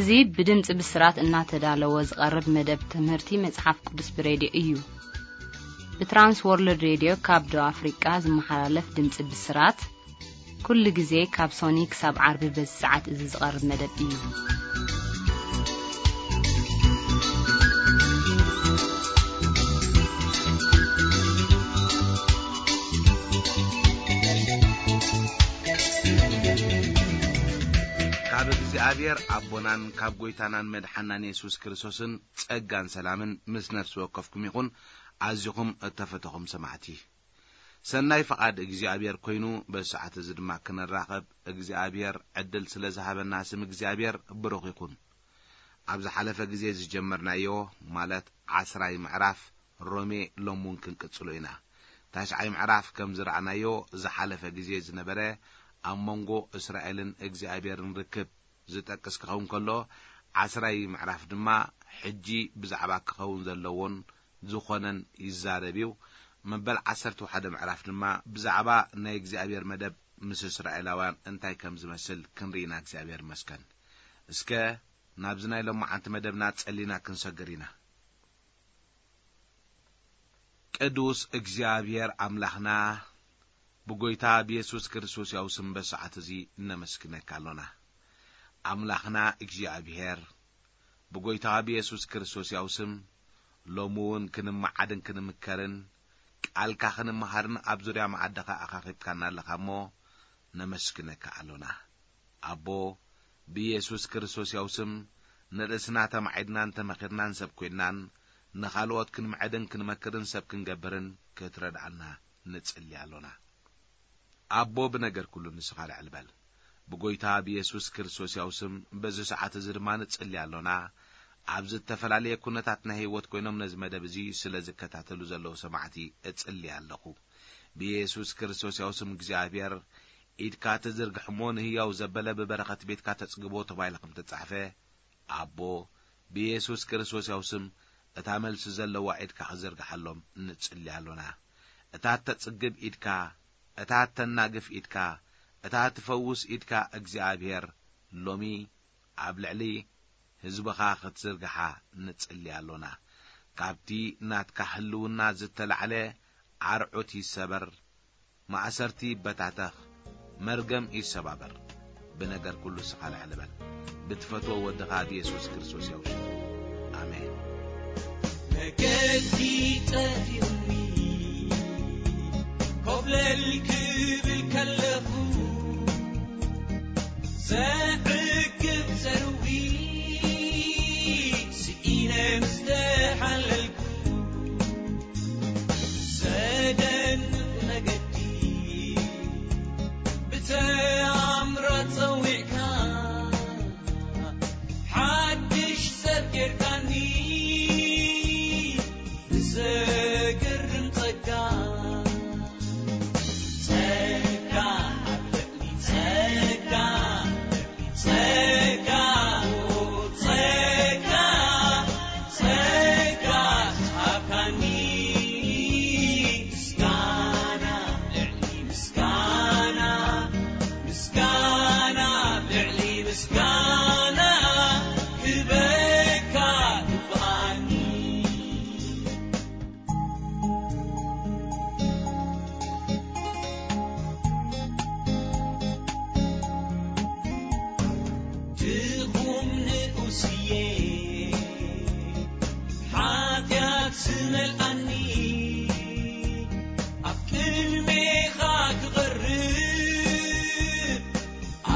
እዚ ብድምጺ ብስራት እናተዳለወ ዝቐርብ መደብ ትምህርቲ መጽሓፍ ቅዱስ ብሬድዮ እዩ። ብትራንስ ወርልድ ሬድዮ ካብ ደቡብ ኣፍሪቃ ዝመሓላለፍ ድምጺ ብስራት፣ ኩሉ ግዜ ካብ ሶኒ ክሳብ ዓርቢ በዚ ሰዓት እዚ ዝቐርብ መደብ እዩ። ካብ እግዚኣብሔር ኣቦናን ካብ ጐይታናን መድሓናን የሱስ ክርስቶስን ጸጋን ሰላምን ምስ ነፍሲ ወከፍኩም ይኹን። ኣዚኹም እተፈተኹም ሰማዕቲ፣ ሰናይ ፍቓድ እግዚኣብሔር ኮይኑ በዚ ሰዓት እዚ ድማ ክንራኸብ እግዚኣብሔር ዕድል ስለ ዝሃበና ስም እግዚኣብሔር ብሩኽ ይኹን። ኣብ ዝሓለፈ ግዜ ዝጀመርናዮ፣ ማለት ዓስራይ ምዕራፍ ሮሜ፣ ሎም እውን ክንቅጽሎ ኢና። ታሽዓይ ምዕራፍ ከም ዝረኣናዮ ዝሓለፈ ግዜ ዝነበረ ኣብ መንጎ እስራኤልን እግዚኣብሔርን ርክብ ዝጠቅስ ክኸውን ከሎ፣ ዓስራይ ምዕራፍ ድማ ሕጂ ብዛዕባ ክኸውን ዘለዎን ዝኾነን ይዛረብ እዩ። መበል ዓሰርተ ሓደ ምዕራፍ ድማ ብዛዕባ ናይ እግዚኣብሔር መደብ ምስ እስራኤላውያን እንታይ ከም ዝመስል ክንርኢ ኢና። እግዚኣብሔር ይመስገን። እስከ ናብዚ ናይ ሎማዓንቲ መደብና ጸሊና ክንሰግር ኢና። ቅዱስ እግዚኣብሔር ኣምላኽና፣ ብጎይታ ብየሱስ ክርስቶስ ያው ስም በሰዓት እዚ እነመስግነካ ኣሎና። ኣምላኽና እግዚኣብሔር፣ ብጎይታ ብየሱስ ክርስቶስ ያው ስም ሎሚ እውን ክንመዓድን ክንምከርን ቃልካ ክንመሃርን ኣብ ዙርያ መዓድኻ ኣኻኺብካና ኣለኻ እሞ ነመስግነካ ኣሎና። ኣቦ፣ ብየሱስ ክርስቶስ ያው ስም ንርእስና ተማዒድናን ተመኺርናን ሰብ ኮይንናን ንኻልኦት ክንምዕድን ክንመክርን ሰብ ክንገብርን ክትረድኣና ንጽሊ ኣሎና። ኣቦ፣ ብነገር ኩሉ ንስኻ ልዕል በል። ብጎይታ ብየሱስ ክርስቶስ ያው ስም በዚ ሰዓት እዚ ድማ ንጽሊ ኣሎና። ኣብ ዝተፈላለየ ኩነታት ናይ ህይወት ኮይኖም ነዚ መደብ እዚ ስለ ዝከታተሉ ዘለዉ ሰማዕቲ እጽሊ ኣለኹ። ብየሱስ ክርስቶስ ያው ስም እግዚኣብሔር ኢድካ ትዝርግሕ እሞ ንህያው ዘበለ ብበረኸት ቤትካ ተጽግቦ ተባሂሉ ከም ተጻሕፈ፣ ኣቦ፣ ብየሱስ ክርስቶስ ያው ስም እታ መልሲ ዘለዋ ኢድካ ክዝርግሓሎም ንጽሊ ኣሎና። እታ እተጽግብ ኢድካ፣ እታ እተናግፍ ኢድካ፣ እታ ትፈውስ ኢድካ እግዚኣብሔር ሎሚ ኣብ ልዕሊ ህዝብኻ ክትዝርግሓ ንጽሊ ኣሎና። ካብቲ ናትካ ህልውና ዝተላዕለ ዓርዑት ይሰበር፣ ማእሰርቲ ይበታተኽ፣ መርገም ይሰባበር። ብነገር ኩሉ ስኻ ልዕል በል። ብትፈትዎ ወድኻ ብየሱስ ክርስቶስ ያው ሽሙ። ኣሜን። መገዲ ጠፊኡኒ ኮብለል ክብል ከለኹ ዘዕግብ ዘርዊ ስኢነ ምስ ተሓለልኩ ዘደንቕ መገዲ ብተኣምራት ጸዊዕካ ሓድሽ ሰብ ጌርካኒ ብዘገርም ጸጋ። ጸጋ ኣብ ልዕሊ ጸጋ፣ ጸጋ፣ ጸጋ፣ ጸጋ ዝሃብካኒ ምስጋና ልዕሊ ምስጋና፣ ምስጋና ልዕሊ ምስጋና ክበካ ይግባኣኒ። ድኹም ንኡስየ ሓጢኣት ዝመልኣኒ ኣብ ቅድሜኻ ክቐርብ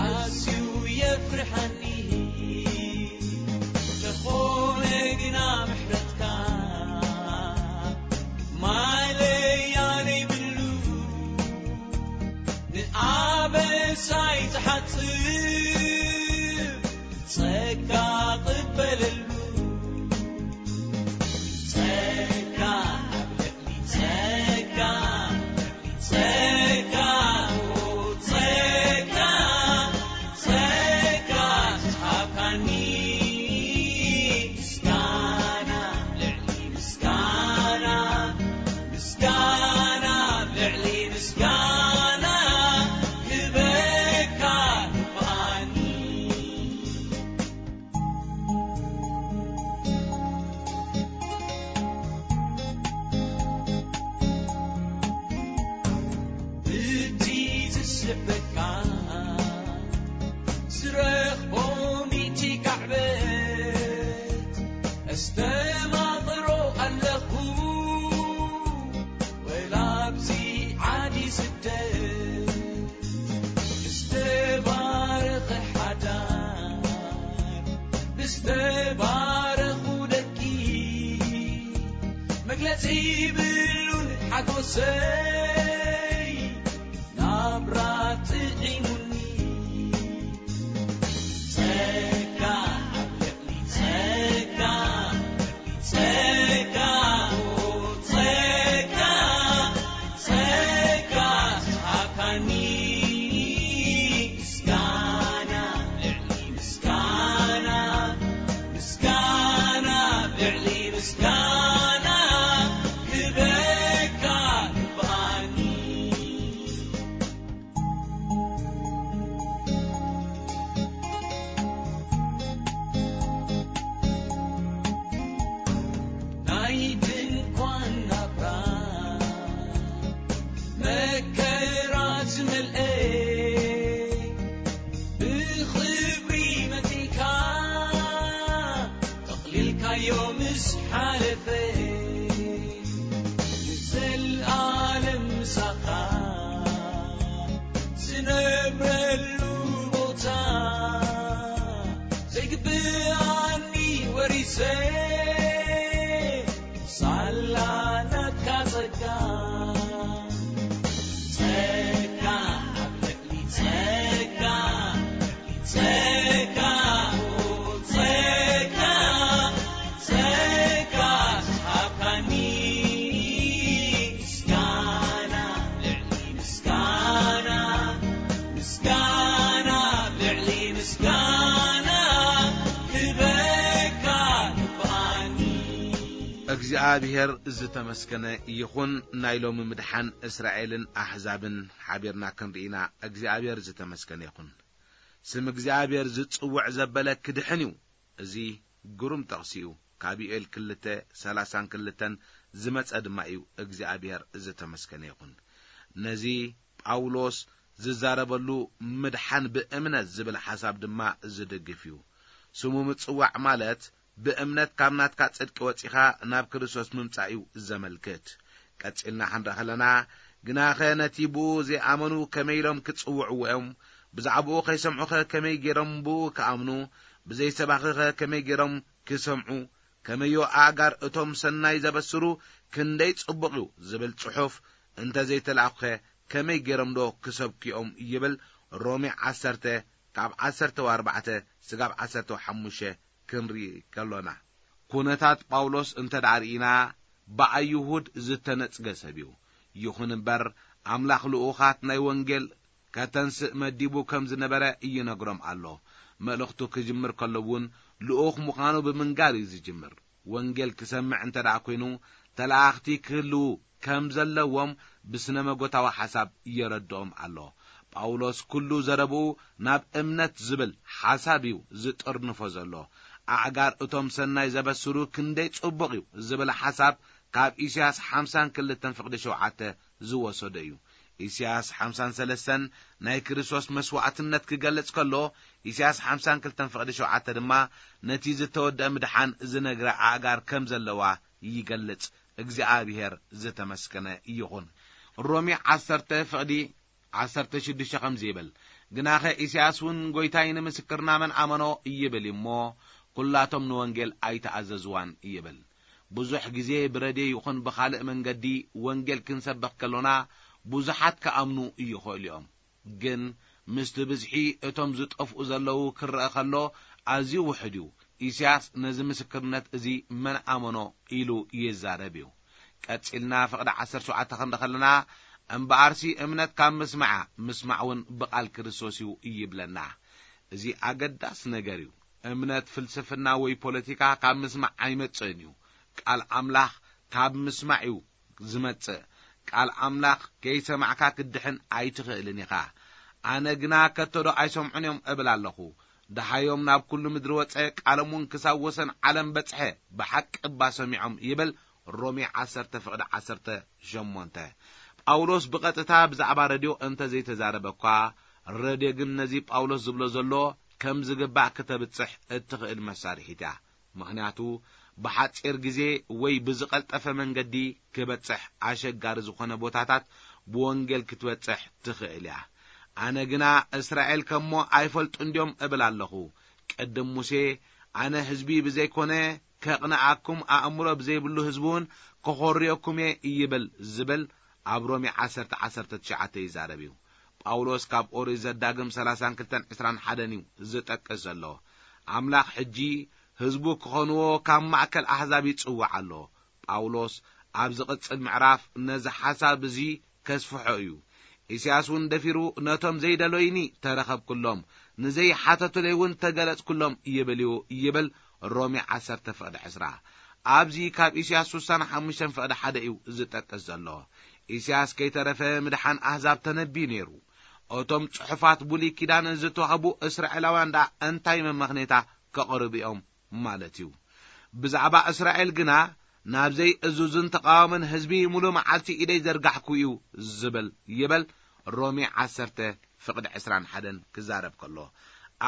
ኣዝዩ የፍርሓኒ። ተኾነ ግና ምሕረትካ ማለያ ዘይብሉ ንኣበሳይ ዝሓጽብ ጸጋ ቅበለሉ። ጸጋ ኣብ ልዕሊ ጸጋ፣ ጸጋ፣ ጸጋ፣ ጸጋ ዝሃብካኒ ምስጋና ልዕሊ ምስጋና፣ ምስጋና ልዕሊ ምስጋና ክበካ ይግባኣኒ። ስበካ ዝረኽቦ ሚእቲ ካዕበት ኣስተማቕሮ ኣለኹ። ወላ ኣብዚ ዓዲ ስደት ዝተባረኸ ሓዳር ብዝተባረኹ ደቂ መግለጺ ብሉን ሓጎሰይ ናብራ ጥዒሙኒ። ጸጋ ኣብ ልዕሊ ጸጋ፣ ጸጋ፣ ጸጋ፣ ጸጋ ዝሃብካኒ። ምስጋና ልዕሊ ምስጋና፣ ምስጋና ልዕሊ ምስጋና ክበካ ይብኣኒ። ናይ ድንኳን ናብራ መከራ ዝመልአ ብኽብሪ መጺእካ ጠቕሊልካዮ ምስ ሓለፈ ንዘለኣለም ምሳኻ ዝነብረሉ ቦታ ዘይግብኣኒ ወሪሰ ሳላ ናትካ ጸጋ። ጸጋ ኣብ ልዕሊ ጸጋ፣ ጸጋ፣ ጸጋ፣ ጸጋ ዝሃብካኒ። ምስጋና ልዕሊ ምስጋና፣ ምስጋና ልዕሊ ምስጋና ክበካ ይብኣኒ። እግዚኣብሔር ዝተመስገነ ይኹን። ናይ ሎሚ ምድሓን እስራኤልን ኣሕዛብን ሓቢርና ክንርኢና እግዚኣብሔር ዝተመስገነ ይኹን። ስም እግዚኣብሔር ዝጽውዕ ዘበለ ክድሕን እዩ። እዚ ግሩም ጥቕሲ እዩ። ካብ ዮኤል ክልተ ሰላሳን ክልተን ዝመጸ ድማ እዩ። እግዚኣብሔር ዝተመስገነ ይኹን። ነዚ ጳውሎስ ዝዛረበሉ ምድሓን ብእምነት ዝብል ሓሳብ ድማ ዝድግፍ እዩ። ስሙ ምጽዋዕ ማለት ብእምነት ካብ ናትካ ጽድቂ ወጺኻ ናብ ክርስቶስ ምምጻእ እዩ ዘመልክት። ቀጺልና ክንርኢ ከለና፣ ግናኸ ነቲ ብኡ ዘይኣመኑ ከመይ ኢሎም ክጽውዕዎ እዮም? ብዛዕባኡ ከይሰምዑኸ ከመይ ገይሮም ብኡ ክኣምኑ? ብዘይሰባኺኸ ከመይ ገይሮም ክሰምዑ? ከመዮ ኣእጋር እቶም ሰናይ ዘበስሩ ክንደይ ጽቡቕ እዩ ዝብል ጽሑፍ እንተ ዘይተላእኩኸ ከመይ ገይሮም ዶ ክሰብኩ እዮም? ይብል ሮሜ ዓሰርተ ካብ ዓሰርተ ኣርባዕተ ስጋብ ዓሰርተ ሓሙሽተ ክንርኢ ከሎና። ኩነታት ጳውሎስ እንተ ደኣ ርኢና ብኣይሁድ ዝተነጽገ ሰብ እዩ። ይኹን እምበር ኣምላኽ ልኡኻት ናይ ወንጌል ከተንስእ መዲቡ ከም ዝነበረ ይነግሮም ኣሎ። መልእኽቱ ክጅምር ከሎ እውን ልኡኽ ምዃኑ ብምንጋር እዩ ዝጅምር። ወንጌል ክሰምዕ እንተ ደኣ ኮይኑ ተለኣኽቲ ክህልዉ ከም ዘለዎም ብስነ መጎታዊ ሓሳብ የረድኦም ኣሎ። ጳውሎስ ኩሉ ዘረብኡ ናብ እምነት ዝብል ሓሳብ እዩ ዝጥርንፎ ዘሎ። ኣእጋር እቶም ሰናይ ዘበስሩ ክንደይ ጽቡቕ እዩ ዝብል ሓሳብ ካብ ኢሳያስ ሓምሳን ክልተን ፍቕዲ ሸውዓተ ዝወሰዶ እዩ። ኢሳያስ ሓምሳን ሰለስተን ናይ ክርስቶስ መስዋዕትነት ክገልጽ ከሎ፣ ኢሳያስ ሓምሳን ክልተን ፍቕዲ ሸውዓተ ድማ ነቲ ዝተወደአ ምድሓን ዝነግረ ኣእጋር ከም ዘለዋ ይገልጽ። እግዚኣብሔር ዝተመስገነ ይኹን። ሮሜ ዓሰርተ ፍቕዲ ዓሰርተ ሽዱሽተ ከምዚ ይብል፣ ግናኸ ኢሳያስ እውን ጎይታይ ንምስክርና መን ኣመኖ ይብል እሞ፣ ኩላቶም ንወንጌል ኣይተኣዘዝዋን ይብል። ብዙሕ ግዜ ብረድዮ ይኹን ብኻልእ መንገዲ ወንጌል ክንሰብኽ ከሎና ብዙሓት ክኣምኑ ይኽእሉ እዮም። ግን ምስቲ ብዝሒ እቶም ዝጠፍኡ ዘለዉ ክረአ ከሎ ኣዝዩ ውሑድ እዩ። ኢሳያስ ነዚ ምስክርነት እዚ መን ኣመኖ ኢሉ ይዛረብ እዩ። ቀጺልና ፍቕዲ ዓሰርተ ሸውዓተ ክንርኢ ከለና፣ እምበኣርሲ እምነት ካብ ምስማዕ እያ፣ ምስማዕ እውን ብቓል ክርስቶስ እዩ ይብለና። እዚ ኣገዳሲ ነገር እዩ። እምነት ፍልስፍና ወይ ፖለቲካ ካብ ምስማዕ ኣይመጽእን እዩ። ቃል ኣምላኽ ካብ ምስማዕ እዩ ዝመጽእ። ቃል ኣምላኽ ከይሰማዕካ ክትድሕን ኣይትኽእልን ኢኻ። ኣነ ግና ከቶ ዶ ኣይሰምዑን እዮም እብል ኣለኹ። ደሃዮም ናብ ኩሉ ምድሪ ወጸ፣ ቃሎም እውን ክሳብ ወሰን ዓለም በጽሐ፣ ብሓቂ እባ ሰሚዖም ይብል። ሮሜ ዓሰርተ ፍቕዲ ዓሰርተ ሸሞንተ። ጳውሎስ ብቐጥታ ብዛዕባ ረድዮ እንተ ዘይተዛረበ እኳ፣ ረድዮ ግን ነዚ ጳውሎስ ዝብሎ ዘሎ ከም ዝግባእ ክተብጽሕ እትኽእል መሳርሒት እያ። ምኽንያቱ፣ ብሓጺር ግዜ ወይ ብዝቐልጠፈ መንገዲ ክበጽሕ ኣሸጋሪ ዝኾነ ቦታታት ብወንጌል ክትበጽሕ ትኽእል እያ። ኣነ ግና እስራኤል ከሞ ኣይፈልጡን ድዮም እብል ኣለኹ። ቅድም ሙሴ፣ ኣነ ህዝቢ ብዘይኮነ ከቕንኣኩም ኣእምሮ ብዘይብሉ ህዝቢ እውን ክኾርዮኩም እየ ይብል ዝብል ኣብ ሮሜ ዓሰርተ ዓሰርተ ትሽዓተ ይዛረብ እዩ። ጳውሎስ ካብ ኦሪት ዘዳግም ሰላሳን ክልተን ዕስራን ሓደን እዩ ዝጠቅስ ዘሎ። ኣምላኽ ሕጂ ህዝቡ ክኾንዎ ካብ ማእከል ኣህዛብ ይጽውዕ ኣሎ። ጳውሎስ ኣብ ዝቕጽል ምዕራፍ ነዚ ሓሳብ እዚ ከስፍሖ እዩ። ኢሳያስ እውን ደፊሩ ነቶም ዘይደለዩኒ ተረኸብኩሎም፣ ንዘይሓተቱለይ እውን ተገለጽኩሎም ይብል እዩ ይብል ሮሜ ዓሰርተ ፍቕዲ ዕስራ። ኣብዚ ካብ ኢሳያስ ስሳን ሓሙሽተን ፍቕዲ ሓደ እዩ ዝጠቅስ ዘሎ። ኢሳያስ ከይተረፈ ምድሓን ኣህዛብ ተነብዩ ነይሩ። እቶም ጽሑፋት ብሉይ ኪዳን ዝተዋህቡ እስራኤላውያን ደኣ እንታይ መመኽኔታ ከቕርቡ እዮም ማለት እዩ? ብዛዕባ እስራኤል ግና፣ ናብዘይ እዙዝን ተቓዋምን ህዝቢ ሙሉ መዓልቲ ኢደይ ዘርጋሕኩ እዩ ዝብል ይበል። ሮሜ ዓሰርተ ፍቕዲ ዕስራን ሓደን ክዛረብ ከሎ፣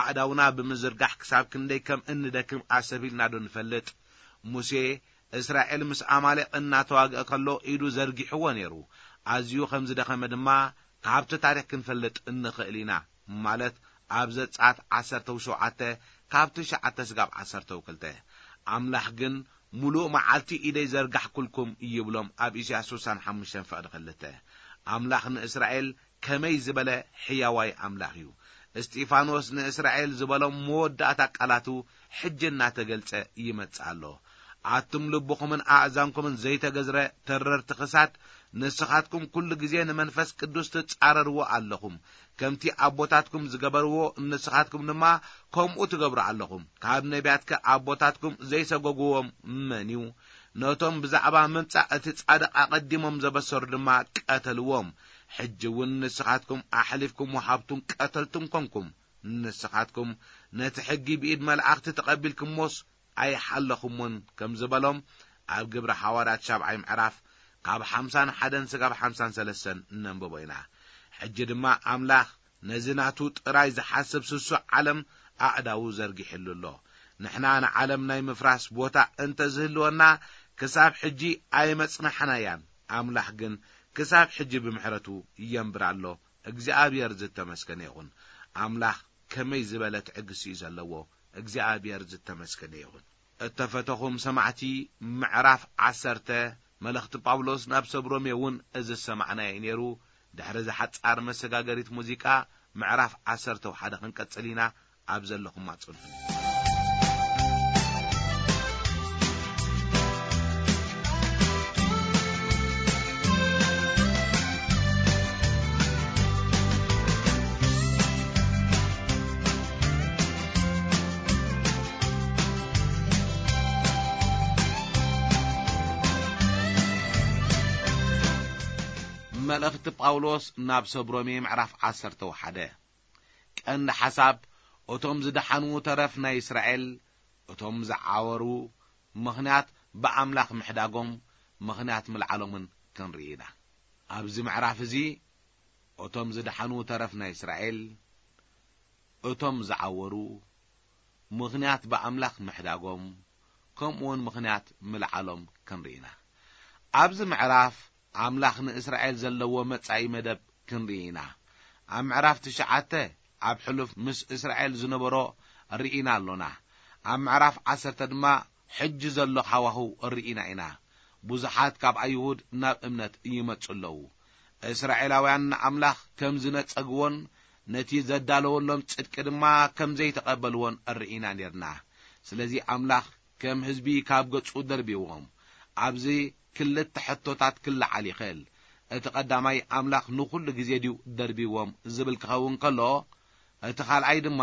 ኣእዳውና ብምዝርጋሕ ክሳብ ክንደይ ከም እንደክም ኣሰብ ኢልና ዶ ንፈልጥ? ሙሴ እስራኤል ምስ ኣማሌቕ እናተዋግአ ከሎ ኢዱ ዘርጊሕዎ ነይሩ። ኣዝዩ ከም ዝደኸመ ድማ ካብቲ ታሪኽ ክንፈልጥ እንኽእል ኢና። ማለት ኣብ ዘጸኣት ዓሰርተ ሸውዓተ ካብ ትሽዓተ ስጋብ ዓሰርተ ክልተ። ኣምላኽ ግን፣ "ሙሉእ መዓልቲ ኢደይ ዘርጋሕኩልኩም" ይብሎም ኣብ ኢሳያስ ስሳን ሓሙሽተን ፍቕዲ ክልተ። ኣምላኽ ንእስራኤል ከመይ ዝበለ ሕያዋይ ኣምላኽ እዩ! እስጢፋኖስ ንእስራኤል ዝበሎም መወዳእታ ቃላቱ ሕጂ እናተገልጸ ይመጽእ ኣሎ። "ኣቱም ልብኹምን ኣእዛንኩምን ዘይተገዝረ ተረርቲ ክሳድ፣ ንስኻትኩም ኩሉ ግዜ ንመንፈስ ቅዱስ ትጻረርዎ ኣለኹም። ከምቲ ኣቦታትኩም ዝገበርዎ፣ ንስኻትኩም ድማ ከምኡ ትገብሩ ኣለኹም። ካብ ነቢያትከ ኣቦታትኩም ዘይሰጎግዎም መን እዩ? ነቶም ብዛዕባ ምምጻእ እቲ ጻድቕ ኣቐዲሞም ዘበሰሩ ድማ ቀተልዎም። ሕጂ እውን ንስኻትኩም ኣሕሊፍኩም ወሃብቱን ቀተልቱን ኮንኩም። ንስኻትኩም ነቲ ሕጊ ብኢድ መላእኽቲ ተቐቢልኩሞስ ኣይሓለኹሞን" ከም ዝበሎም ኣብ ግብሪ ሃዋርያት ሻብዓይ ምዕራፍ ካብ ሓምሳን ሓደን ስጋብ ሓምሳን ሰለስተን እነንብቦ ኢና። ሕጂ ድማ ኣምላኽ ነዚ ናቱ ጥራይ ዝሓስብ ስሱዕ ዓለም ኣእዳዉ ዘርጊሕሉ ኣሎ። ንሕና ንዓለም ናይ ምፍራስ ቦታ እንተ ዝህልወና፣ ክሳብ ሕጂ ኣይመጽናሕናያን። ኣምላኽ ግን ክሳብ ሕጂ ብምሕረቱ የንብር ኣሎ። እግዚኣብሔር ዝተመስገነ ይኹን። ኣምላኽ ከመይ ዝበለ ትዕግስቲ እዩ ዘለዎ። እግዚኣብሔር ዝተመስገነ ይኹን። እተፈተኹም ሰማዕቲ፣ ምዕራፍ ዓሰርተ መልእኽቲ ጳውሎስ ናብ ሰብ ሮሜ እውን እዚ ዝሰማዕናዮ እዩ ነይሩ። ድሕሪ እዛ ሓጻር መሰጋገሪት ሙዚቃ፣ ምዕራፍ ዓሰርተ ሓደ ክንቀጽል ኢና። ኣብ ዘለኹም ኣጽንሑኒ። መልእኽቲ ጳውሎስ ናብ ሰብ ሮሜ ምዕራፍ ዓሰርተ ሓደ። ቀንዲ ሓሳብ፣ እቶም ዝደሓኑ ተረፍ ናይ እስራኤል፣ እቶም ዝዓወሩ ምኽንያት ብኣምላኽ ምሕዳጎም፣ ምኽንያት ምልዓሎምን ክንርኢ ኢና። ኣብዚ ምዕራፍ እዚ፣ እቶም ዝደሓኑ ተረፍ ናይ እስራኤል፣ እቶም ዝዓወሩ ምኽንያት ብኣምላኽ ምሕዳጎም፣ ከምኡውን ምኽንያት ምልዓሎም ክንርኢ ኢና። ኣብዚ ምዕራፍ ኣምላኽ ንእስራኤል ዘለዎ መጻኢ መደብ ክንርኢ ኢና። ኣብ ምዕራፍ ትሽዓተ ኣብ ሕሉፍ ምስ እስራኤል ዝነበሮ ርኢና ኣሎና። ኣብ ምዕራፍ ዓሰርተ ድማ ሕጂ ዘሎ ሃዋህው ርኢና ኢና። ብዙሓት ካብ ኣይሁድ ናብ እምነት ይመጹ ኣለዉ። እስራኤላውያን ንኣምላኽ ከም ዝነጸግዎን ነቲ ዘዳለወሎም ጽድቂ ድማ ከም ዘይተቐበልዎን ርኢና ኔርና። ስለዚ ኣምላኽ ከም ህዝቢ ካብ ገጹ ደርቢዎም። ኣብዚ ክልተ ሕቶታት ክለዓል ይኽእል። እቲ ቀዳማይ፣ ኣምላኽ ንኹሉ ግዜ ድዩ ደርቢዎም ዝብል ክኸውን ከሎ፣ እቲ ካልኣይ ድማ፣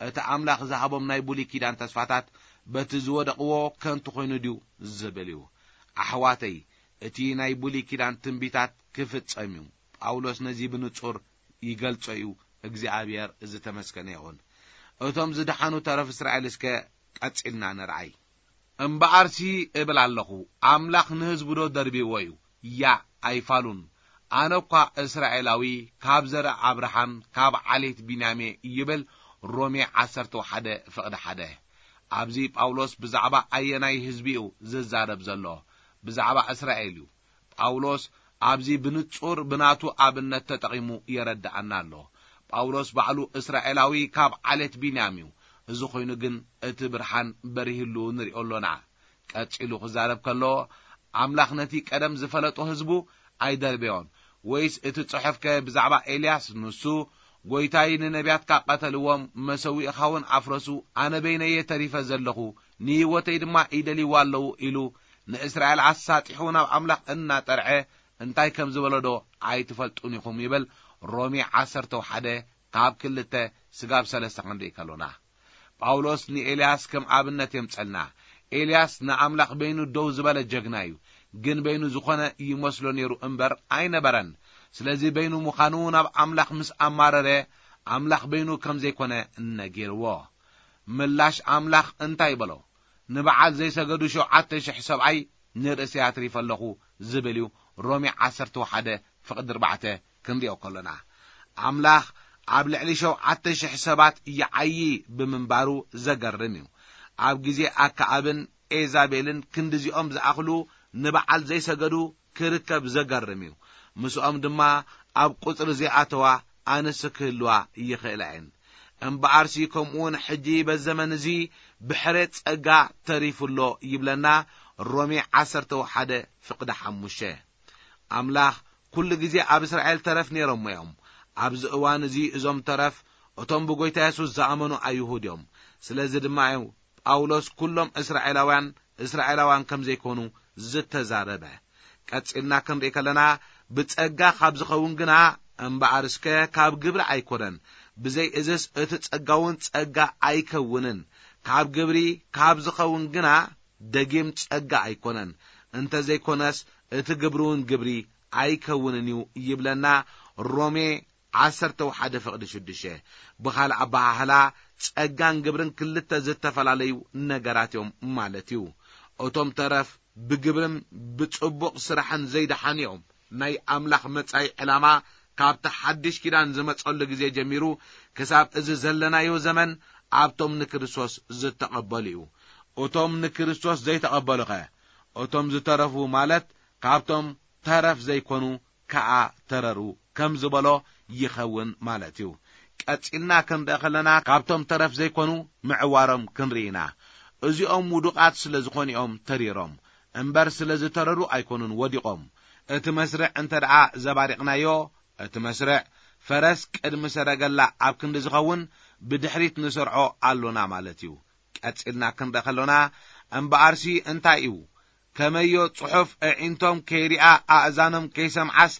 እቲ ኣምላኽ ዝሃቦም ናይ ብሉይ ኪዳን ተስፋታት በቲ ዝወደቕዎ ከንቱ ኮይኑ ድዩ ዝብል እዩ። ኣሕዋተይ፣ እቲ ናይ ብሉይ ኪዳን ትንቢታት ክፍጸም እዩ። ጳውሎስ ነዚ ብንጹር ይገልጾ እዩ። እግዚኣብሔር ዝተመስገነ ይኹን። እቶም ዝደሓኑ ተረፍ እስራኤል እስከ ቀጺልና ንርኣይ። እምበኣርሲ እብል ኣለኹ፣ ኣምላኽ ንህዝቡ ዶ ደርቢዎ እዩ? ያእ ኣይፋሉን። ኣነ እኳ እስራኤላዊ፣ ካብ ዘርኢ ኣብርሃም፣ ካብ ዓሌት ቢንያሜ ይብል። ሮሜ ዓሰርተ ሓደ ፍቕዲ ሓደ። ኣብዚ ጳውሎስ ብዛዕባ ኣየናይ ህዝቢ እዩ ዝዛረብ ዘሎ? ብዛዕባ እስራኤል እዩ። ጳውሎስ ኣብዚ ብንጹር ብናቱ ኣብነት ተጠቒሙ የረድኣና ኣሎ። ጳውሎስ ባዕሉ እስራኤላዊ ካብ ዓሌት ቢንያም እዩ። እዚ ኮይኑ ግን እቲ ብርሃን በሪህሉ ንሪኦ ኣሎና። ቀጺሉ ክዛረብ ከሎ፣ ኣምላኽ ነቲ ቀደም ዝፈለጦ ህዝቡ ኣይደርበዮን። ወይስ እቲ ጽሑፍከ ብዛዕባ ኤልያስ ንሱ፣ "ጐይታይ ንነቢያትካ ቀተልዎም፣ መሰዊእኻ እውን ኣፍረሱ፣ ኣነ በይነየ ተሪፈ ዘለኹ፣ ንህይወተይ ድማ ይደልይዋ ኣለዉ" ኢሉ ንእስራኤል ኣሳጢሑ ናብ ኣምላኽ እናጠርዐ እንታይ ከም ዝበሎ ዶ ኣይትፈልጡን ኢኹም? ይብል ሮሜ ዓሰርተ ሓደ ካብ ክልተ ስጋብ ሰለስተ ክንርኢ ከሎና። ጳውሎስ ንኤልያስ ከም ኣብነት የምጸልና። ኤልያስ ንኣምላኽ በይኑ ደው ዝበለ ጀግና እዩ። ግን በይኑ ዝኾነ ይመስሎ ነይሩ እምበር ኣይነበረን። ስለዚ በይኑ ምዃኑ ናብ ኣምላኽ ምስ ኣማረረ፣ ኣምላኽ በይኑ ከም ዘይኮነ ነጊርዎ። ምላሽ ኣምላኽ እንታይ በሎ? ንበዓል ዘይሰገዱ ሸውዓተ ሽሕ ሰብኣይ ንርእሰይ ኣትሪፈ ኣለኹ ዝብል እዩ። ሮሜ ዓሰርተ ሓደ ፍቕዲ ኣርባዕተ ክንሪኦ ከሎና፣ ኣምላኽ ኣብ ልዕሊ ሸውዓተ ሽሕ ሰባት ይዓዪ ብምንባሩ ዘገርም እዩ። ኣብ ግዜ ኣከኣብን ኤዛቤልን ክንድዚኦም ዝኣኽሉ ንበዓል ዘይሰገዱ ክርከብ ዘገርም እዩ። ምስኦም ድማ ኣብ ቁጽሪ ዘይኣተዋ ኣንስቲ ክህልዋ ይኽእላ እየን። እምበኣርሲ ከምኡውን ሕጂ በዚ ዘመን እዚ ብሕሬት ጸጋ ተሪፉ ኣሎ ይብለና ሮሜ ዓሰርተ ሓደ ፍቕዲ ሓሙሽተ። ኣምላኽ ኩሉ ግዜ ኣብ እስራኤል ተረፍ ነይሮም እዮም። ኣብዚ እዋን እዚ እዞም ተረፍ እቶም ብጎይታ የሱስ ዝኣመኑ ኣይሁድ እዮም። ስለዚ ድማ እዩ ጳውሎስ ኩሎም እስራኤላውያን እስራኤላውያን ከም ዘይኮኑ ዝተዛረበ። ቀጺልና ክንርኢ ከለና፣ ብጸጋ ካብ ዝኸውን ግና እምበኣር እስከ ካብ ግብሪ ኣይኮነን። ብዘይ እዝስ እቲ ጸጋ እውን ጸጋ ኣይከውንን። ካብ ግብሪ ካብ ዝኸውን ግና ደጊም ጸጋ ኣይኮነን። እንተ ዘይኮነስ እቲ ግብሪ እውን ግብሪ ኣይከውንን እዩ ይብለና ሮሜ ዓሰርተ ሓደ ፍቕዲ ሽዱሽተ። ብኻልእ ኣበሃህላ፣ ጸጋን ግብርን ክልተ ዝተፈላለዩ ነገራት እዮም ማለት እዩ። እቶም ተረፍ ብግብርን ብጽቡቕ ስራሕን ዘይደሓኑ እዮም። ናይ ኣምላኽ መጻኢ ዕላማ ካብቲ ሓድሽ ኪዳን ዝመጸሉ ግዜ ጀሚሩ ክሳብ እዚ ዘለናዮ ዘመን ኣብቶም ንክርስቶስ ዝተቐበሉ እዩ። እቶም ንክርስቶስ ዘይተቐበሉኸ? እቶም ዝተረፉ ማለት ካብቶም ተረፍ ዘይኮኑ ከኣ ተረሩ ከም ዝበሎ ይኸውን ማለት እዩ። ቀጺልና ክንርኢ ከለና ካብቶም ተረፍ ዘይኮኑ ምዕዋሮም ክንርኢ ኢና። እዚኦም ውዱቓት ስለ ዝኾኑ እዮም ተሪሮም እምበር ስለ ዝተረሩ ኣይኮኑን ወዲቖም። እቲ መስርዕ እንተ ደኣ ዘባሪቕናዮ፣ እቲ መስርዕ ፈረስ ቅድሚ ሰረገላ ኣብ ክንዲ ዝኸውን ብድሕሪት ንሰርዖ ኣሎና ማለት እዩ። ቀጺልና ክንርኢ ከሎና እምበኣርሲ እንታይ እዩ? ከመዮ ጽሑፍ ኣዒንቶም ከይሪኣ ኣእዛኖም ከይሰምዓስ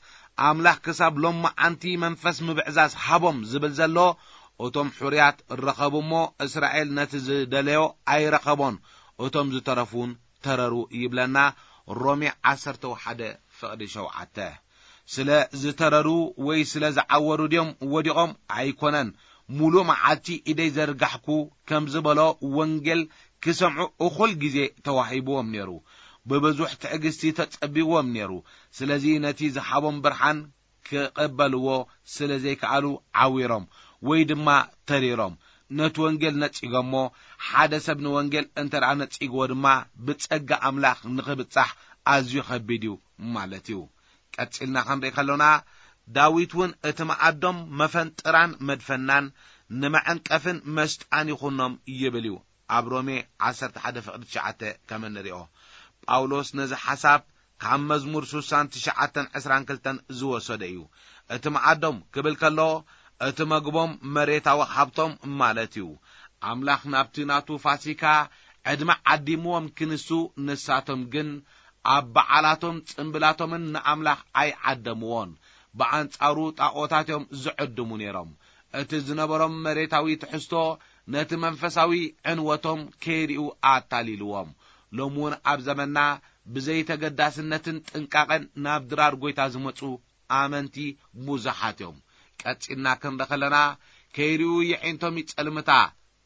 ኣምላኽ ክሳብ ሎማዓንቲ መንፈስ ምብዕዛዝ ሃቦም ዝብል ዘሎ፣ እቶም ሕሩያት ረኸቡ እሞ እስራኤል ነቲ ዝደለዮ ኣይረኸቦን፣ እቶም ዝተረፉ እውን ተረሩ ይብለና ሮሜ ዓሰርተ ሓደ ፍቕዲ ሸውዓተ። ስለ ዝተረሩ ወይ ስለ ዝዓወሩ ድዮም ወዲቖም? ኣይኮነን። ሙሉእ መዓልቲ ኢደይ ዘርጋሕኩ ከም ዝበሎ ወንጌል ክሰምዑ እኹል ግዜ ተዋሂብዎም ነይሩ። ብብዙሕ ትዕግስቲ ተጸቢዎም ነይሩ። ስለዚ ነቲ ዝሃቦም ብርሃን ክቕበልዎ ስለ ዘይከኣሉ ዓዊሮም ወይ ድማ ተሪሮም። ነቲ ወንጌል ነጺጎሞ። ሓደ ሰብ ንወንጌል እንተ ደኣ ነጺግዎ ድማ ብጸጋ ኣምላኽ ንኽብጻሕ ኣዝዩ ኸቢድ እዩ ማለት እዩ። ቀጺልና ክንርኢ ከሎና፣ ዳዊት እውን እቲ መኣዶም መፈንጥራን መድፈናን ንመዐንቀፍን መስጣን ይኹኖም ይብል እዩ። ኣብ ሮሜ ዓሰርተ ሓደ ፍቕዲ ትሽዓተ ከም እንሪኦ፣ ጳውሎስ ነዚ ሓሳብ ካብ መዝሙር ስሳን ትሽዓተን ዕስራን ክልተን ዝወሰደ እዩ። እቲ መኣዶም ክብል ከሎ፣ እቲ መግቦም መሬታዊ ሃብቶም ማለት እዩ። ኣምላኽ ናብቲ ናቱ ፋሲካ ዕድመ ዓዲምዎም ክንሱ፣ ንሳቶም ግን ኣብ በዓላቶም ጽምብላቶምን ንኣምላኽ ኣይዓደምዎን። ብኣንጻሩ ጣኦታት እዮም ዝዕድሙ ነይሮም። እቲ ዝነበሮም መሬታዊ ትሕዝቶ ነቲ መንፈሳዊ ዕንወቶም ከይሪኡ ኣታሊልዎም። ሎሚ እውን ኣብ ዘመንና ብዘይተገዳስነትን ጥንቃቐን ናብ ድራር ጐይታ ዝመጹ ኣመንቲ ብዙሓት እዮም። ቀጺልና ክንርኢ ከለና፣ ከይሪኡ የዒንቶም ይጸልምታ፣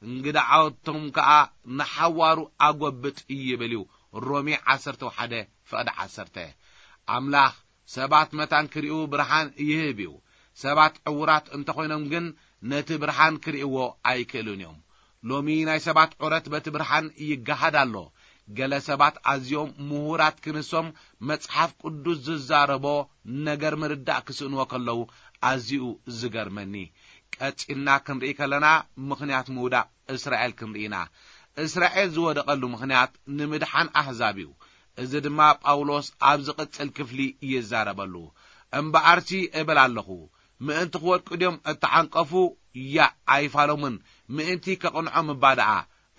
እንግድዓቶም ከኣ ንሓዋሩ ኣጎብጥ ይብል እዩ። ሮሜ ዓሰርተ ሓደ ፍቕዲ ዓሰርተ። ኣምላኽ ሰባት መታን ክሪኡ ብርሃን ይህብ እዩ። ሰባት ዕውራት እንተኾይኖም ግን ነቲ ብርሃን ክርእይዎ ኣይክእሉን እዮም። ሎሚ ናይ ሰባት ዑረት በቲ ብርሃን ይገሃድ ኣሎ። ገለ ሰባት ኣዝዮም ምሁራት ክንሶም መጽሓፍ ቅዱስ ዝዛረቦ ነገር ምርዳእ ክስእንዎ ከለዉ ኣዝዩ ዝገርመኒ። ቀጺልና ክንርኢ ከለና ምኽንያት ምውዳቕ እስራኤል ክንርኢ ኢና። እስራኤል ዝወደቐሉ ምኽንያት ንምድሓን ኣህዛብ እዩ። እዚ ድማ ጳውሎስ ኣብ ዝቕጽል ክፍሊ ይዛረበሉ። እምበኣርሲ እብል ኣለኹ፣ ምእንቲ ክወድቁ ድዮም እተዓንቀፉ? ያእ ኣይፋሎምን፣ ምእንቲ ከቕንዖም እባ ደኣ።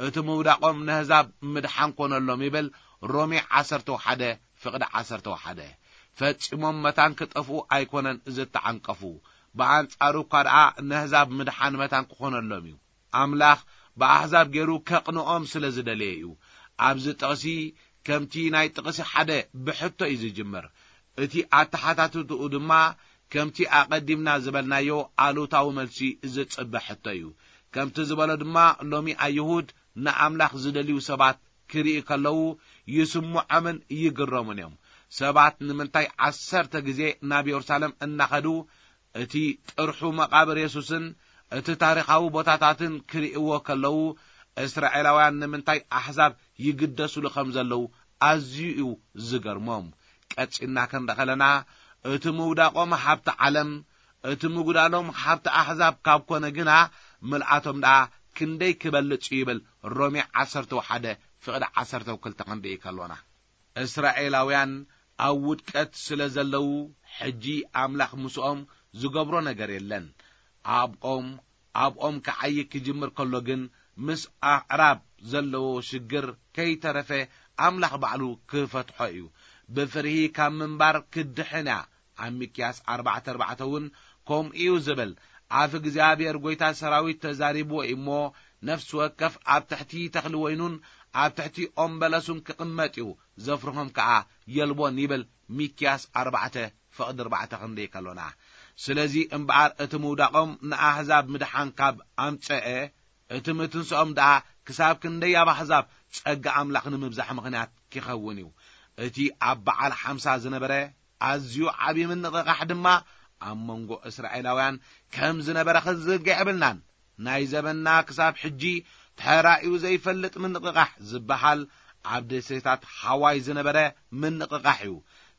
እቲ ምውዳቖም ነህዛብ ምድሓን ኮነሎም ይብል ሮሜ ዓሰርተ ሓደ ፍቕዲ ዓሰርተ ሓደ። ፈጺሞም መታን ክጠፍኡ ኣይኮነን ዝተዓንቀፉ፣ ብኣንጻሩ እኳ ደኣ ነህዛብ ምድሓን መታን ክኾነሎም እዩ። ኣምላኽ ብኣህዛብ ገይሩ ከቕንኦም ስለ ዝደለየ እዩ። ኣብዚ ጥቕሲ ከምቲ ናይ ጥቕሲ ሓደ ብሕቶ እዩ ዝጅምር። እቲ ኣተሓታትትኡ ድማ ከምቲ ኣቐዲምና ዝበልናዮ ኣሉታዊ መልሲ ዝጽበ ሕቶ እዩ። ከምቲ ዝበሎ ድማ ሎሚ ኣይሁድ ንኣምላኽ ዝደልዩ ሰባት ክርኢ ከለዉ ይስምዖምን ይግረሙን እዮም። ሰባት ንምንታይ ዓሰርተ ግዜ ናብ የሩሳሌም እናኸዱ እቲ ጥርሑ መቓብር የሱስን እቲ ታሪኻዊ ቦታታትን ክርእይዎ ከለዉ፣ እስራኤላውያን ንምንታይ ኣሕዛብ ይግደሱሉ ከም ዘለዉ ኣዝዩ እዩ ዝገርሞም። ቀጺልና ክንርኢ ከለና፣ እቲ ምውዳቖም ሃብቲ ዓለም፣ እቲ ምጉዳሎም ሃብቲ ኣሕዛብ ካብ ኮነ ግና፣ ምልኣቶም ደኣ ክንደይ ክበልጽ እዩ ይብል ሮሜ ዓሰርተ ሓደ ፍቕዲ ዓሰርተ ክልተ ክንርኢ ከሎና። እስራኤላውያን ኣብ ውድቀት ስለ ዘለዉ፣ ሕጂ ኣምላኽ ምስኦም ዝገብሮ ነገር የለን። ኣብኦም ኣብኦም ክዓዪ ክጅምር ከሎ ግን፣ ምስ ኣዕራብ ዘለዎ ሽግር ከይተረፈ ኣምላኽ ባዕሉ ክፈትሖ እዩ። ብፍርሂ ካብ ምንባር ክድሕን እያ። ኣብ ሚክያስ ኣርባዕተ ኣርባዕተ እውን ከምኡ እዩ ዝብል። ኣፍ እግዚኣብሔር ጐይታ ሰራዊት ተዛሪብዎ እዩ እሞ፣ ነፍሲ ወከፍ ኣብ ትሕቲ ተኽሊ ወይኑን ኣብ ትሕቲ ኦም በለሱን ክቕመጥ እዩ፣ ዘፍርሆም ከኣ የልቦን ይብል። ሚክያስ ኣርባዕተ ፍቕዲ ኣርባዕተ ክንደይ ከሎና። ስለዚ እምበኣር እቲ ምውዳቖም ንኣህዛብ ምድሓን ካብ ኣምጸአ፣ እቲ ምትንስኦም ደኣ ክሳብ ክንደይ ኣብ ኣህዛብ ጸጋ ኣምላኽ ንምብዛሕ ምኽንያት ኪኸውን እዩ። እቲ ኣብ በዓል ሓምሳ ዝነበረ ኣዝዩ ዓቢ ምንቕቓሕ ድማ ኣብ መንጎ እስራኤላውያን ከም ዝነበረ ክንዝንግዕ የብልናን። ናይ ዘበንና ክሳብ ሕጂ ተራእዩ ዘይፈልጥ ምንቕቓሕ ዝበሃል ኣብ ደሴታት ሃዋይ ዝነበረ ምንቕቓሕ እዩ።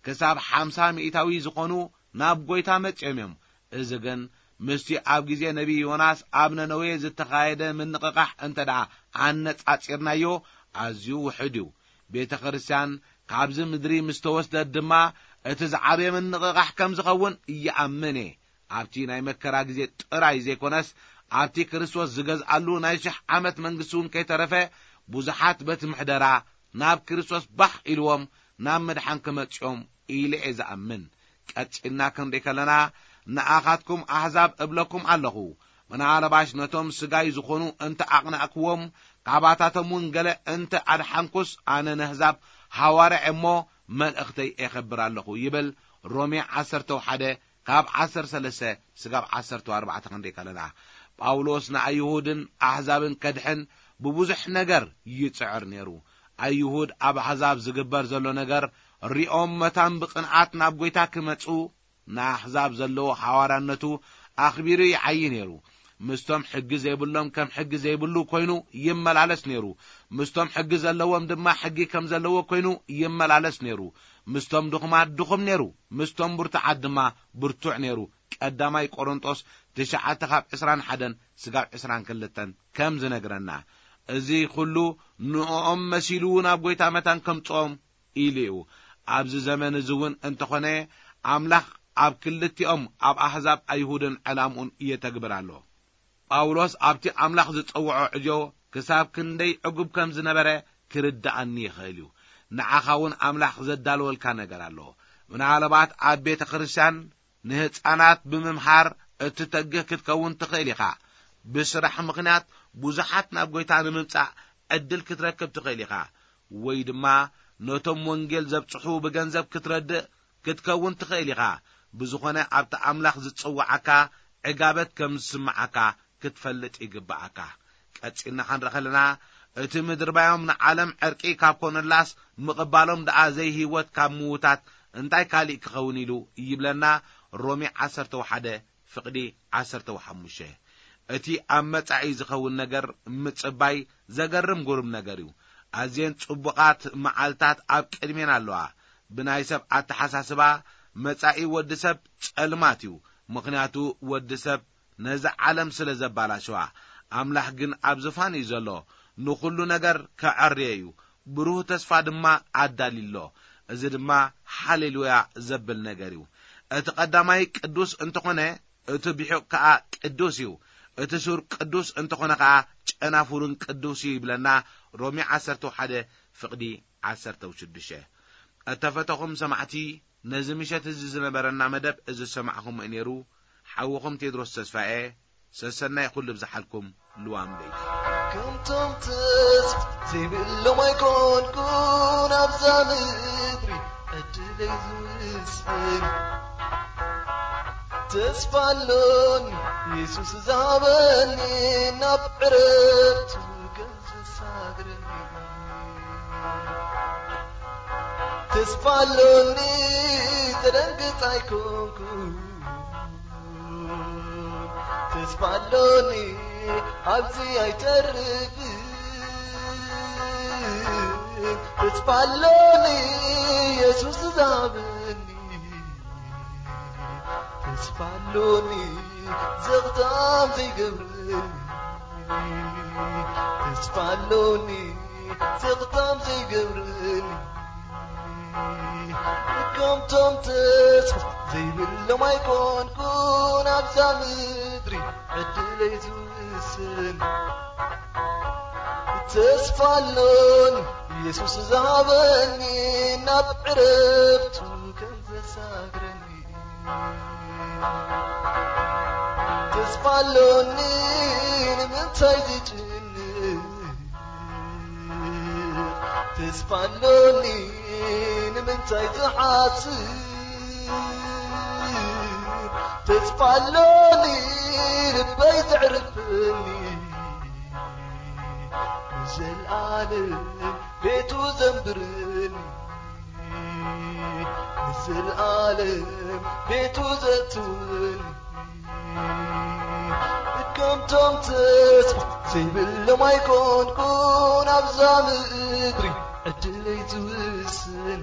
ክሳብ ሓምሳ ሚእታዊ ዝኾኑ ናብ ጐይታ መጺኦም እዮም። እዚ ግን ምስቲ ኣብ ግዜ ነቢይ ዮናስ ኣብ ነነዌ ዝተኻየደ ምንቕቓሕ እንተ ደኣ ኣነጻጺርናዮ፣ ኣዝዩ ውሑድ እዩ። ቤተ ክርስቲያን ካብዚ ምድሪ ምስ ተወስደት ድማ፣ እቲ ዝዓበየ ምንቕቓሕ ከም ዝኸውን ይኣምን እየ። ኣብቲ ናይ መከራ ግዜ ጥራይ ዘይኮነስ፣ ኣብቲ ክርስቶስ ዝገዝኣሉ ናይ ሽሕ ዓመት መንግስቲ እውን ከይተረፈ፣ ብዙሓት በቲ ምሕደራ ናብ ክርስቶስ ባህ ኢልዎም ናብ ምድሓን ክመጽኦም ኢለ እየ ዝኣምን። ቀጺልና ክንርኢ ከለና፣ ንኣኻትኩም ኣሕዛብ እብለኩም ኣለኹ፣ ምናልባሽ ነቶም ስጋይ ዝኾኑ እንተ ኣቕናእክዎም፣ ካባታቶም እውን ገለ እንተ ኣድሓንኩስ፣ ኣነ ነህዛብ ሃዋርያ እሞ መልእኽተይ ኤኸብር ኣለኹ ይብል። ሮሜ ዓሰርተ ሓደ ካብ ዓሰርተ ሰለስተ ስጋብ ዓሰርተ ኣርባዕተ ክንደይ ከለና፣ ጳውሎስ ንኣይሁድን ኣሕዛብን ከድሕን ብብዙሕ ነገር ይጽዕር ነይሩ። ኣይሁድ ኣብ ኣሕዛብ ዝግበር ዘሎ ነገር ሪኦም መታን ብቕንዓት ናብ ጐይታ ክመጹ፣ ንኣሕዛብ ዘለዎ ሓዋርያነቱ ኣኽቢሩ ይዓዪ ነይሩ። ምስቶም ሕጊ ዘይብሎም ከም ሕጊ ዘይብሉ ኮይኑ ይመላለስ ነይሩ። ምስቶም ሕጊ ዘለዎም ድማ ሕጊ ከም ዘለዎ ኮይኑ ይመላለስ ነይሩ። ምስቶም ድኹማት ድኹም ነይሩ። ምስቶም ብርቱዓት ድማ ብርቱዕ ነይሩ። ቀዳማይ ቆሮንጦስ ትሽዓተ ካብ ዕስራን ሓደን ስጋብ ዕስራን ክልተን ከም ዝነግረና፣ እዚ ኩሉ ንእኦም መሲሉ ናብ ጐይታ መታን ከምጽኦም ኢሉ እዩ። ኣብዚ ዘመን እዚ እውን እንተኾነ፣ ኣምላኽ ኣብ ክልቲኦም፣ ኣብ ኣሕዛብ ኣይሁድን ዕላምኡን የተግብር ኣሎ። ጳውሎስ ኣብቲ ኣምላኽ ዝጸውዖ ዕዮ ክሳብ ክንደይ ዕጉብ ከም ዝነበረ ክርድኣኒ ይኽእል እዩ። ንዓኻ እውን ኣምላኽ ዘዳለወልካ ነገር ኣሎ። ምናልባት ኣብ ቤተ ክርስቲያን ንህጻናት ብምምሃር እትተግህ ክትከውን ትኽእል ኢኻ። ብስራሕ ምኽንያት ብዙሓት ናብ ጐይታ ንምምጻእ ዕድል ክትረክብ ትኽእል ኢኻ። ወይ ድማ ነቶም ወንጌል ዘብጽሑ ብገንዘብ ክትረድእ ክትከውን ትኽእል ኢኻ። ብዝኾነ ኣብቲ ኣምላኽ ዝጸውዓካ ዕጋበት ከም ዝስምዓካ ክትፈልጥ ይግብኣካ። ቀጺልና ክንርኢ ከለና፣ እቲ ምድርባዮም ንዓለም ዕርቂ ካብ ኮነላስ፣ ምቕባሎም ደኣ ዘይህይወት ካብ ምዉታት እንታይ ካሊእ ክኸውን ኢሉ ይብለና። ሮሜ ዓሰርተ ሓደ ፍቕዲ ዓሰርተ ሓሙሽተ። እቲ ኣብ መጻኢ ዝኸውን ነገር ምጽባይ ዘገርም ግሩም ነገር እዩ። ኣዝየን ጽቡቓት መዓልታት ኣብ ቅድሜና ኣለዋ። ብናይ ሰብ ኣተሓሳስባ መጻኢ ወዲ ሰብ ጸልማት እዩ። ምኽንያቱ ወዲ ሰብ ነዚ ዓለም ስለ ዘባላሸዋ። ኣምላኽ ግን ኣብ ዝፋን እዩ ዘሎ። ንኹሉ ነገር ከዐርዮ እዩ። ብሩህ ተስፋ ድማ ኣዳልዩ ኣሎ። እዚ ድማ ሃሌሉያ ዘብል ነገር እዩ። እቲ ቀዳማይ ቅዱስ እንተኾነ፣ እቲ ቢሑቕ ከኣ ቅዱስ እዩ። እቲ ሱር ቅዱስ እንተኾነ ከኣ ጨናፍሩን ቅዱስ እዩ ይብለና ሮሜ ዓሰርተ ሓደ ፍቕዲ ዓሰርተ ሽዱሽተ። እተፈተኹም ሰማዕቲ፣ ነዚ ምሸት እዚ ዝነበረና መደብ እዚ ዝሰማዕኹምዎ ነይሩ። ሓውኹም ቴድሮስ ተስፋኤ። ሰሰናይ ኩሉ ብዝሓልኩም ልዋም ለይቲ። ከምቶም ተስፋ ዘይብሎም ኣይኮንኩን ኣብዛ ምድሪ ዕድለይ ዝውስን። ተስፋ ኣሎኒ የሱስ ዝሃበኒ ናብ ዕረፍቱ ከም ዘሳግረኒ። ተስፋ ኣሎኒ ተደንግጽ ኣይኮንኩን። ተስፋ ኣሎኒ ኣብዚ ኣይተርፍን። ተስፋ ኣሎኒ የሱስ ዝሃበኒ። ተስፋ ኣሎኒ ዘኽታም ዘይገብረኒ። ተስፋ ኣሎኒ ዘኽታም ዘይገብረኒ። ከምቶም ተስፋ ዘይብሎም ኣይኮንኩን ኣብዛ ምድሪ ዕድለይ ዝውስን። ተስፋ ኣሎኒ የሱስ ዝሃበኒ ናብ ዕረፍቱ ከም ዘሳግረኒ። ተስፋ ኣሎኒ ንምንታይ ዝጭንቕ? ተስፋ ኣሎኒ ንምንታይ ዝሓስብ? ተስፋ ኣሎኒ ልበይ ዘዕርፈኒ፣ ንዘለኣለም ቤቱ ዘንብረኒ፣ ንዘለኣለም ቤቱ ዘእትወኒ። ከምቶም ተስፋ ዘይብሎም ኣይኮንኩን ኣብዛ ምድሪ ዕድለይ ዝውስን።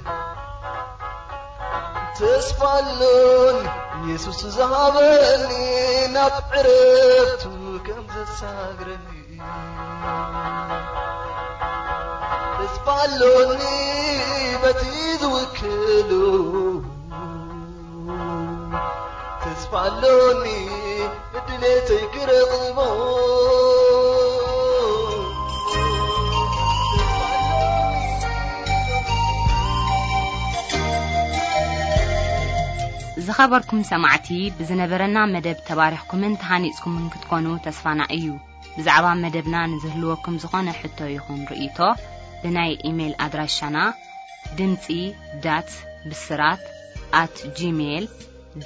ተስፋ ኣሎኒ የሱስ ዝሃበኒ ናብ ዕረፍቱ ከም ዘሳግረኒ። ተስፋ ኣሎኒ በቲ ዝውክሉ፣ ተስፋ ኣሎኒ ንድሌተይ ክረኽቦ። ዝኸበርኩም ሰማዕቲ፣ ብዝነበረና መደብ ተባሪኽኩምን ተሃኒጽኩምን ክትኮኑ ተስፋና እዩ። ብዛዕባ መደብና ንዝህልወኩም ዝኾነ ሕቶ ይኹን ርእይቶ፣ ብናይ ኢሜይል ኣድራሻና ድምጺ ዳት ብስራት ኣት ጂሜይል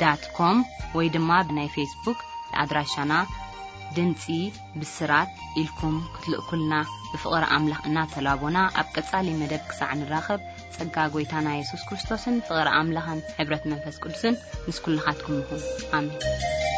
ዳት ኮም ወይ ድማ ብናይ ፌስቡክ ኣድራሻና ድምጺ ብስራት ኢልኩም ክትልእኩልና ብፍቕሪ ኣምላኽ እናተላቦና፣ ኣብ ቀጻሊ መደብ ክሳዕ ንራኸብ፣ ጸጋ ጐይታና የሱስ ክርስቶስን ፍቕሪ ኣምላኽን ሕብረት መንፈስ ቅዱስን ምስ ኩልኻትኩም ይኹን። ኣሜን።